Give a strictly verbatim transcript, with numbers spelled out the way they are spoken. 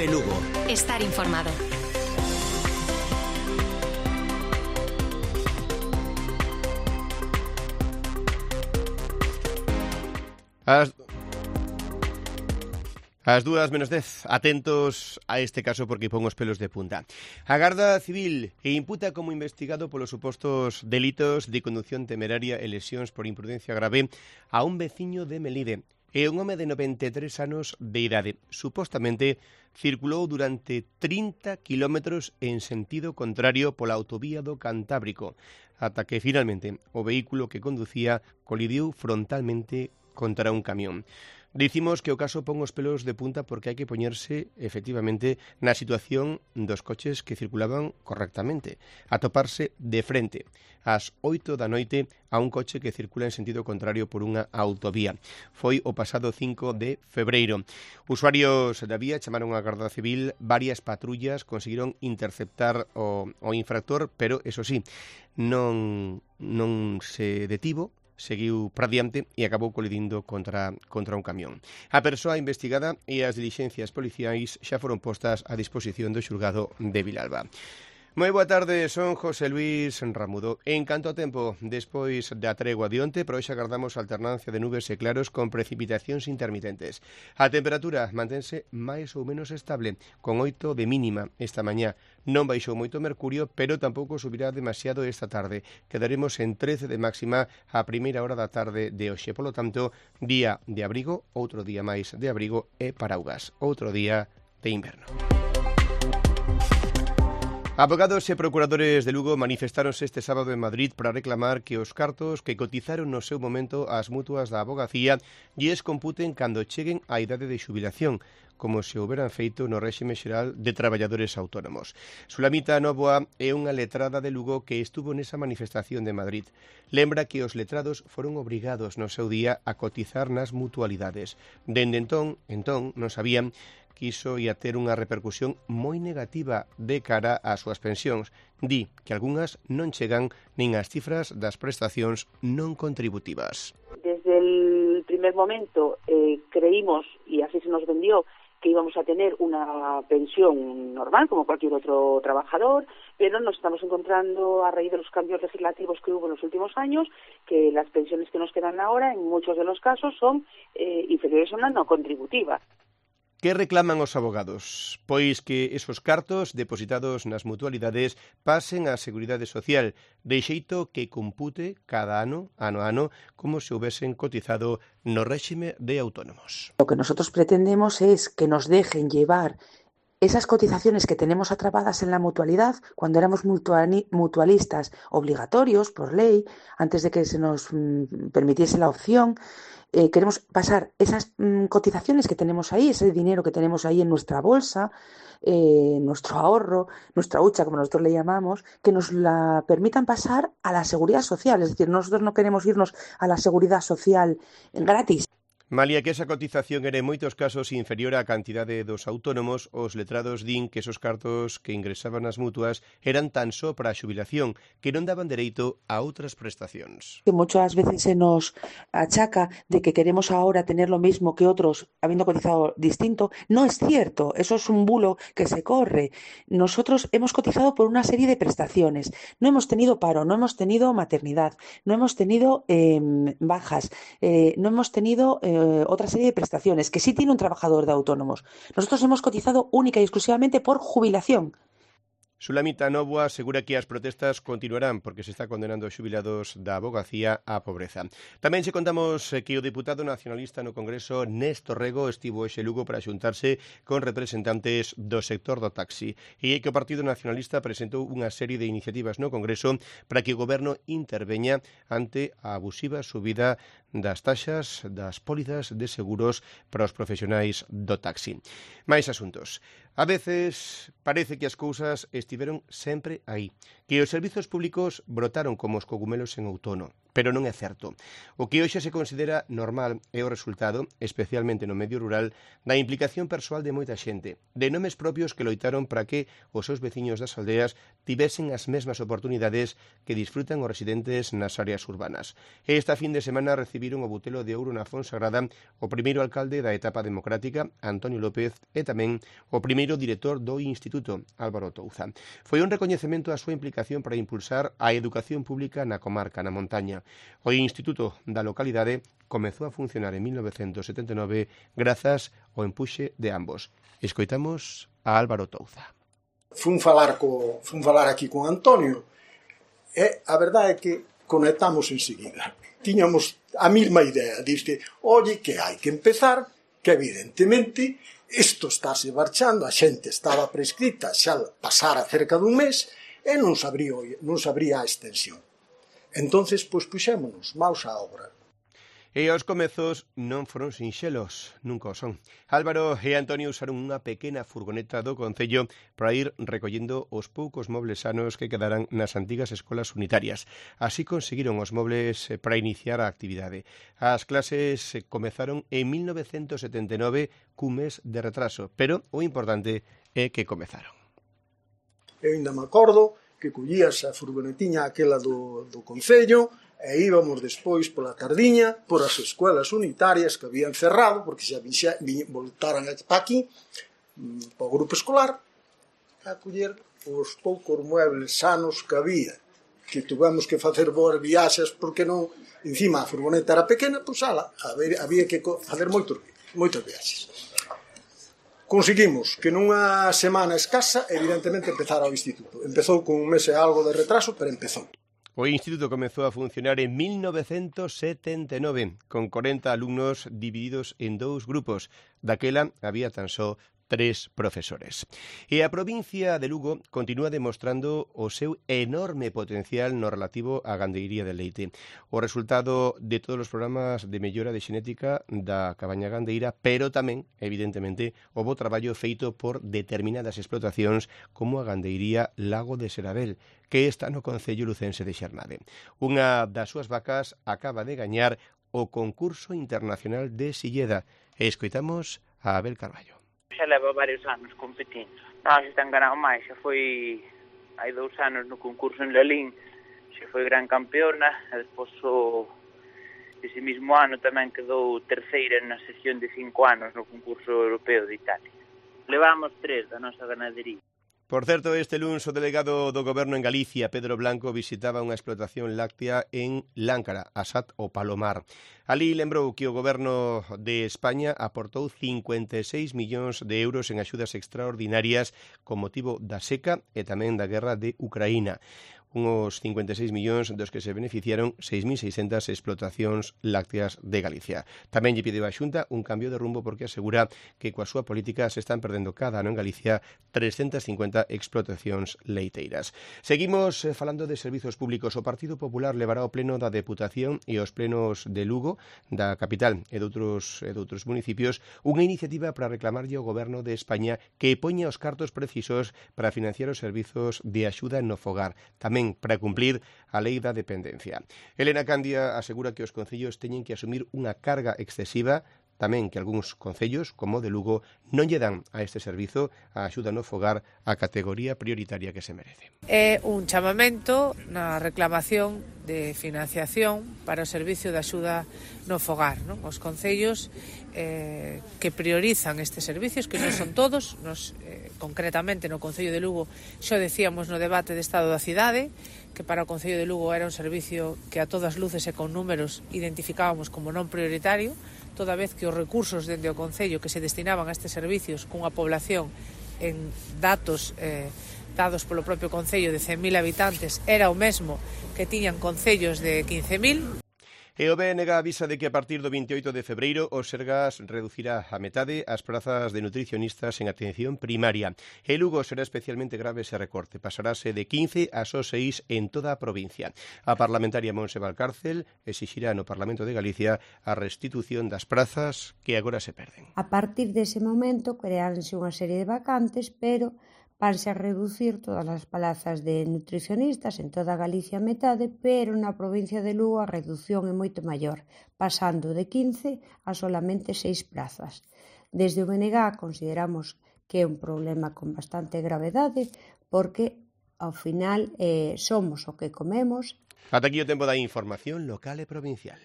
Cope Lugo. Estar informado. As... As dúas menos dez, atentos a este caso porque pon os pelos de punta. A Garda Civil imputa como investigado polos supostos delitos de condución temeraria e lesións por imprudencia grave a un veciño de Melide. É un home de noventa e tres anos de idade. Supostamente circulou durante trinta kilómetros en sentido contrario pola autovía do Cantábrico, ata que finalmente o vehículo que conducía colidiu frontalmente contra un camión. Dicimos que o caso pon os pelos de punta porque hai que poñerse, efectivamente, na situación dos coches que circulaban correctamente, atoparse de frente ás oito da noite a un coche que circula en sentido contrario por unha autovía. Foi o pasado cinco de febreiro. Usuarios da vía chamaron á Garda Civil, varias patrullas conseguiron interceptar o, o infractor, pero, eso sí, non, non se detivo, seguiu para diante e acabou colidindo contra, contra un camión. A persoa investigada e as dilixencias policiais xa foron postas a disposición do xulgado de Vilalba. Moi boa tarde, son José Luis Ramudo. En canto ao tempo, despois da tregua de onte, pero hoxe agardamos alternancia de nubes e claros con precipitacións intermitentes. A temperatura mantense máis ou menos estable, con oito de mínima esta mañá. Non baixou moito o mercurio, pero tampouco subirá demasiado esta tarde. Quedaremos en trece de máxima a primeira hora da tarde de hoxe. Polo tanto, día de abrigo, outro día máis de abrigo e paraugas. Outro día de inverno. Abogados e procuradores de Lugo manifestáronse este sábado en Madrid para reclamar que os cartos que cotizaron no seu momento ás mutuas da abogacía lles computen cando cheguen á idade de xubilación, como se houberan feito no réxime xeral de traballadores autónomos. Sulamita Nóvoa é unha letrada de Lugo que estuvo nesa manifestación de Madrid. Lembra que os letrados foron obrigados no seu día a cotizar nas mutualidades. Dende entón, entón, non sabían que iso ia ter unha repercusión moi negativa de cara ás súas pensións. Di que algunhas non chegan nin ás cifras das prestacións non contributivas. Desde el primer momento eh, creímos, y así se nos vendió, que íbamos a tener una pensión normal como cualquier otro trabajador, pero nos estamos encontrando a raíz de los cambios legislativos que hubo en los últimos años, que las pensiones que nos quedan ahora en muchos de los casos son eh, inferiores a una no contributiva. Que reclaman os abogados? Pois que esos cartos depositados nas mutualidades pasen á Seguridade Social, de xeito que compute cada ano, ano a ano, como se houvesen cotizado no réxime de autónomos. Lo que nosotros pretendemos es que nos dejen llevar esas cotizaciones que tenemos atrapadas en la mutualidad, cuando éramos mutualistas obligatorios por ley, antes de que se nos mm, permitiese la opción, Eh, queremos pasar esas mm, cotizaciones que tenemos ahí, ese dinero que tenemos ahí en nuestra bolsa, eh, nuestro ahorro, nuestra hucha, como nosotros le llamamos, que nos la permitan pasar a la seguridad social. Es decir, nosotros no queremos irnos a la seguridad social gratis. Malia que esa cotización era en moitos casos inferior á cantidade dos autónomos, os letrados din que esos cartos que ingresaban as mutuas eran tan só para a xubilación, que non daban dereito a outras prestacións. Que muchas veces se nos achaca de que queremos ahora tener lo mismo que otros habiendo cotizado distinto. No es cierto, eso es un bulo que se corre. Nosotros hemos cotizado por una serie de prestaciones. No hemos tenido paro, no hemos tenido maternidad, no hemos tenido eh, bajas, eh, no hemos tenido eh, otra serie de prestaciones que sí tiene un trabajador de autónomos. Nosotros hemos cotizado única y exclusivamente por jubilación. Sulamita Nóvoa asegura que as protestas continuarán porque se está condenando os xubilados da abogacía á pobreza. Tamén se contamos que o deputado nacionalista no Congreso Néstor Rego estivo hoxe Lugo para xuntarse con representantes do sector do taxi e que o Partido Nacionalista presentou unha serie de iniciativas no Congreso para que o Goberno interveña ante a abusiva subida das taxas das pólizas de seguros para os profesionais do taxi. Mais asuntos. A veces parece que as cousas estiveron sempre aí, que os servizos públicos brotaron como os cogumelos en outono, pero non é certo. O que hoxe se considera normal é o resultado, especialmente no medio rural, da implicación persoal de moita xente, de nomes propios que loitaron para que os seus veciños das aldeas tivesen as mesmas oportunidades que disfrutan os residentes nas áreas urbanas. Esta fin de semana recibiron o Butelo de Ouro na Fonsagrada o primeiro alcalde da etapa democrática, Antonio López, e tamén o primeiro director do Instituto, Álvaro Touza. Foi un recoñecemento á súa implicación para impulsar a educación pública na comarca, na montaña. O Instituto da localidade comezou a funcionar en mil novecentos setenta e nove grazas ao empuxe de ambos. Escoitamos a Álvaro Touza. Fun falar, co, fun falar aquí con Antonio e a verdade é que conectamos enseguida. Tiñamos a mesma idea, diste, oye, que hai que empezar, que evidentemente isto estáse marchando, a xente estaba prescrita, xa pasara cerca dun mes e non sabría, non sabría a extensión. Entonces, pois, puxémonos maus á obra. E os comezos non foron sinxelos, nunca o son. Álvaro e Antonio usaron unha pequena furgoneta do Concello para ir recollendo os poucos mobles sanos que quedaran nas antigas escolas unitarias. Así conseguiron os mobles para iniciar a actividade. As clases comezaron en mil novecentos setenta e nove cun mes de retraso, pero o importante é que comezaron. Eu ainda me acordo que collías a furgonetiña aquela do, do Concello e íbamos despois pola tardiña por as escolas unitarias que habían cerrado, porque xa vixa, vi, voltaran para aquí, para o grupo escolar, a coller os poucos muebles sanos que había, que tuvemos que facer boas viaxes, porque non, encima a furgoneta era pequena, pois ala, había que facer moitos, moitos viaxes. Conseguimos que nunha semana escasa, evidentemente, empezara o instituto. Empezou con un mes e algo de retraso, pero empezou. O instituto comezou a funcionar en mil novecentos setenta e nove, con corenta alumnos divididos en dous grupos. Daquela había tan só tres profesores. E a provincia de Lugo continúa demostrando o seu enorme potencial no relativo á gandeiría de leite. O resultado de todos os programas de mellora de xenética da cabaña gandeira, pero tamén, evidentemente, o bo traballo feito por determinadas explotacións como a gandeiría Lago de Serabel, que está no concello lucense de Xernade. Unha das súas vacas acaba de gañar o concurso internacional de Silleda. E escoitamos a Abel Carballo. Xa leva varios anos competindo. Non, xa ten ganado máis, xa foi hai dous anos no concurso en Lalín, xa foi gran campeona, e despois o, ese mismo ano tamén quedou terceira na sesión de cinco anos no concurso europeo de Italia. Levamos tres da nosa ganadería. Por certo, este luns o delegado do Goberno en Galicia, Pedro Blanco, visitaba unha explotación láctea en Láncara, Asat o Palomar. Alí lembrou que o Goberno de España aportou cincuenta e seis millóns de euros en axudas extraordinarias con motivo da seca e tamén da guerra de Ucraína. Unhos cincuenta e seis millóns dos que se beneficiaron seis mil seiscentas explotacións lácteas de Galicia. Tamén lle pideu a Xunta un cambio de rumbo porque asegura que coa súa política se están perdendo cada ano en Galicia trescentas cincuenta explotacións leiteiras. Seguimos falando de servizos públicos. O Partido Popular levará ao pleno da Deputación e aos plenos de Lugo, da capital e de outros, e de outros municipios, unha iniciativa para reclamarlle ao Goberno de España que poña os cartos precisos para financiar os servizos de axuda no fogar. Tamén para cumplir a lei da dependencia. Elena Candia asegura que os concellos teñen que asumir unha carga excesiva, tamén que algúns concellos, como o de Lugo, non lle dan a este servizo a axuda no fogar a categoría prioritaria que se merece. É un chamamento na reclamación de financiación para o servicio de axuda no fogar, non? Os concellos eh, que priorizan estes servicios, que non son todos, nos, eh, concretamente no Concello de Lugo, xo decíamos no debate de Estado da Cidade, que para o Concello de Lugo era un servicio que a todas luces e con números identificábamos como non prioritario, toda vez que os recursos dende o Concello que se destinaban a estes servicios cunha población en datos eh, dados polo propio Concello de cen mil habitantes era o mesmo que tiñan concellos de quince mil. E o B N G avisa de que a partir do vinte e oito de febreiro o Sergas reducirá a metade as prazas de nutricionistas en atención primaria. E Lugo será especialmente grave ese recorte. Pasarase de quince a só seis en toda a provincia. A parlamentaria Monse Valcárcel exixirá no Parlamento de Galicia a restitución das prazas que agora se perden. A partir dese momento creáronse unha serie de vacantes, pero vanse a reducir todas as plazas de nutricionistas en toda Galicia a metade, pero na provincia de Lugo a reducción é moito maior, pasando de quince a solamente seis plazas. Desde o B N G consideramos que é un problema con bastante gravedade, porque ao final eh, somos o que comemos. Ata aquí o tempo da información local e provincial.